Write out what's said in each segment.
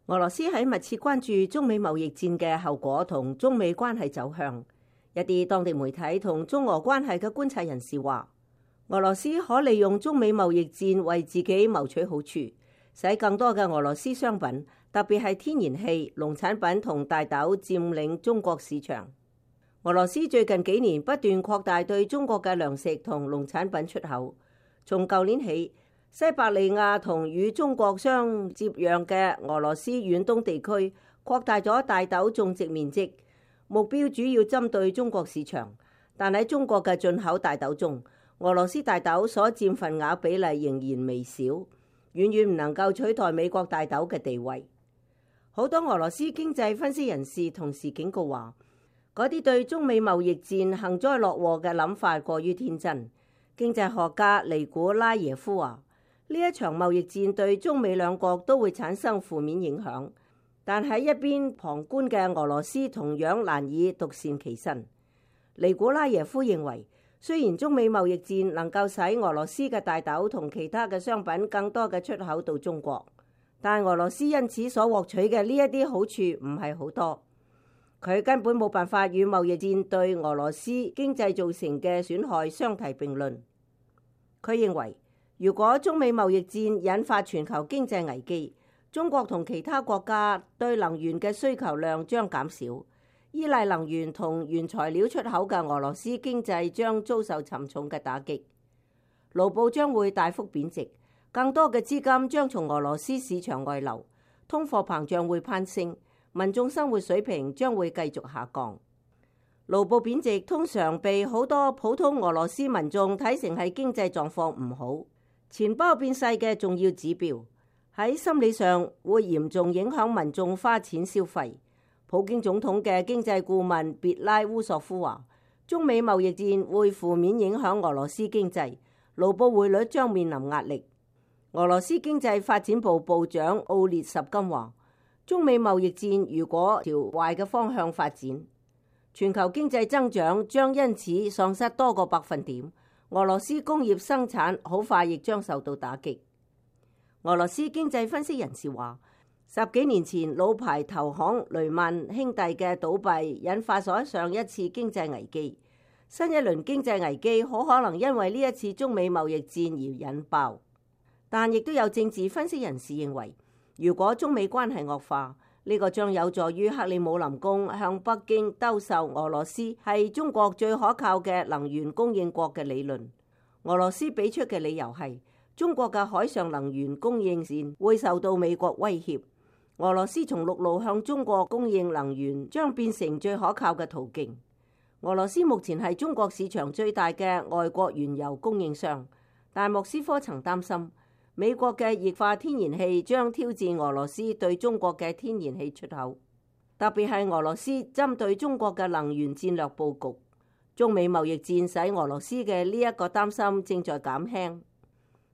俄羅斯喺密切關注中美貿易戰嘅後果同中美關係走向。一啲當地媒體同中俄關係嘅觀察人士話，俄羅斯可利用中美貿易戰為自己謀取好處，使更多嘅俄羅斯商品，特別係天然氣、農產品同大豆佔領中國市場。俄羅斯最近幾年不斷擴大對中國嘅糧食同農產品出口。從舊年起，西伯利亞同與中國相接壤嘅俄羅斯遠東地區擴大咗大豆種植面積，目標主要針對中國市場。但喺中國嘅進口大豆中，俄羅斯大豆所佔份額比例仍然微小，遠遠唔能夠取代美國大豆嘅地位。好多俄羅斯經濟分析人士同時警告話，嗰啲對中美貿易戰幸災樂禍嘅諗法過於天真。經濟學家尼古拉耶夫話，呢一場貿易戰對中美兩國都會產生負面影響，但喺一邊旁觀嘅俄羅斯同樣難以獨善其身。尼古拉耶夫認為，雖然中美貿易戰能夠使俄羅斯嘅大豆同其他嘅商品更多嘅出口到中國，但俄羅斯因此所獲取嘅呢一啲好處唔係好多。佢根本冇辦法與貿易戰對俄羅斯經濟造成嘅損害相提並論。佢認為，如果中美貿易戰引發全球經濟危機，中國同其他國家對能源嘅需求量將減少，依賴能源同原材料出口嘅俄羅斯經濟將遭受沉重嘅打擊，盧布將會大幅貶值，更多嘅資金將從俄羅斯市場外流，通貨膨脹會攀升，民眾生活水平將會繼續下降。盧布貶值通常被好多普通俄羅斯民眾睇成係經濟狀況唔好、錢包變細嘅重要指標，喺心理上會嚴重影響民眾花錢消費。普京總統嘅經濟顧問別拉烏索夫話，中美貿易戰會負面影響俄羅斯經濟，盧布匯率將面臨壓力。俄羅斯經濟發展部部長奧列什金話，中美貿易戰如果朝壞嘅方向發展，全球經濟增長將因此喪失多個百分點，俄羅斯工業生產好快亦將受到打擊。俄羅斯經濟分析人士話，10幾年前老牌投行雷曼兄弟嘅倒閉引發咗上一次經濟危機，新一輪經濟危機好可能因為呢一次中美貿易戰而引爆。但亦都有政治分析人士認為，如果中美關係惡化，呢個將有助於克里姆林宮向北京兜售俄羅斯係中國最可靠嘅能源供應國嘅理論。俄羅斯俾出嘅理由係，中國嘅海上能源供應線會受到美國威脅，俄羅斯從陸路向中國供應能源將變成最可靠嘅途徑。俄羅斯目前係中國市場最大嘅外國原油供應商，但莫斯科曾擔心美國嘅液化天然氣將挑戰俄羅斯對中國嘅天然氣出口，特別係俄羅斯針對中國嘅能源戰略佈局。中美貿易戰使俄羅斯嘅呢一個擔心正在減輕。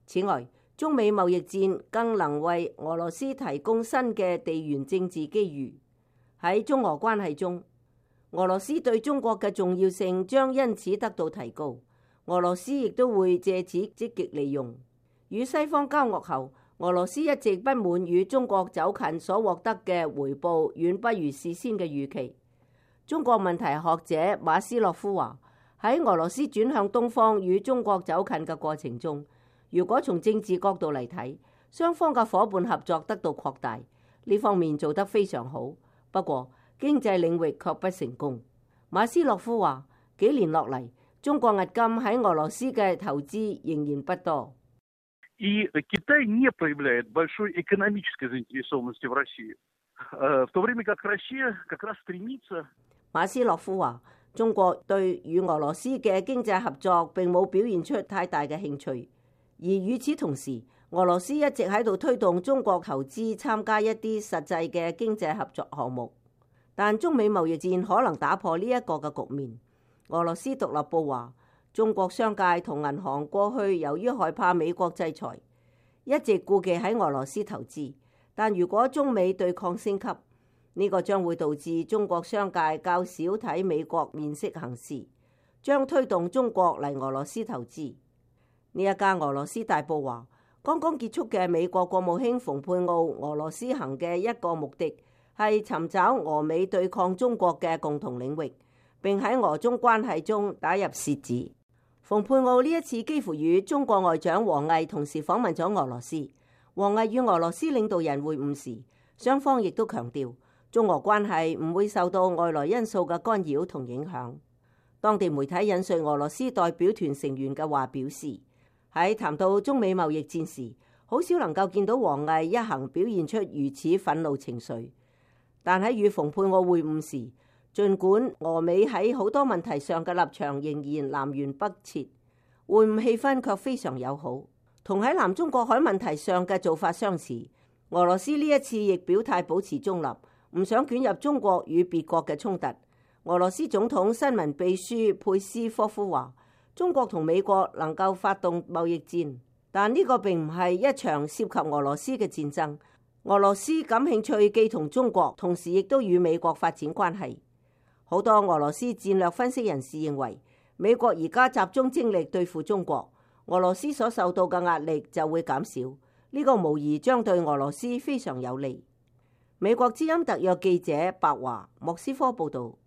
此外，中美貿易戰更能為俄羅斯提供新嘅地緣政治機遇。喺中俄關係中，俄羅斯對中國嘅重要性將因此得到提高，俄羅斯亦都會借此積極利用。與西方交惡後，俄羅斯一直不滿與中國走近所獲得嘅回報遠不如事先嘅預期。中國問題學者馬斯洛夫話，喺俄羅斯轉向東方與中國走近嘅過程中，如果從政治角度嚟睇，雙方嘅夥伴合作得到擴大，呢方面做得非常好。不過經濟領域卻不成功。馬斯洛夫話，幾年落嚟，中國押金喺俄羅斯嘅投資仍然不多。И Китай не проявляет большой экономической заинтересованности в России, в то время как Россия как раз стремится。馬斯洛夫話，中國對與俄羅斯嘅經濟合作並冇表現出太大嘅興趣，而與此同時，俄羅斯一直喺度推動中國投資參加一啲實際嘅經濟合作項目。但中美貿易戰可能打破呢一個嘅局面。俄羅斯獨立報話，中國商界同銀行過去由於害怕美國制裁，一直顧忌喺俄羅斯投資。但如果中美對抗升級，呢個將會導致中國商界較少睇美國面色行事，將推動中國嚟俄羅斯投資。呢一家俄羅斯大報話，剛剛結束嘅美國國務卿蓬佩奧俄羅斯行嘅一個目的係尋找俄美對抗中國嘅共同領域，並喺俄中關係中打入楔子。蓬佩奧呢一次幾乎與中國外長王毅同時訪問咗俄羅斯。王毅與俄羅斯領導人會晤時，雙方亦都強調中俄關係唔會受到外來因素嘅干擾同影響。當地媒體引述俄羅斯代表團成員嘅話表示，喺談到中美貿易戰時，好少能夠見到王毅一行表現出如此憤怒情緒。但喺與蓬佩奧會晤時，儘管俄美喺好多問題上嘅立場仍然南轅北轍，會晤氣氛卻非常友好，同喺南中國海問題上嘅做法相似。俄羅斯呢一次亦表態保持中立，唔想捲入中國與別國嘅衝突。俄羅斯總統新聞秘書佩斯科夫話，中國同美國能夠發動貿易戰，但呢個並唔係一場涉及俄羅斯嘅戰爭。俄羅斯感興趣既同中國，同時亦都與美國發展關係。好多俄羅斯戰略分析人士認為，美國而家集中精力對付中國，俄羅斯所受到嘅壓力就會減少。呢個無疑將對俄羅斯非常有利。美國之音特約記者白華莫斯科報導。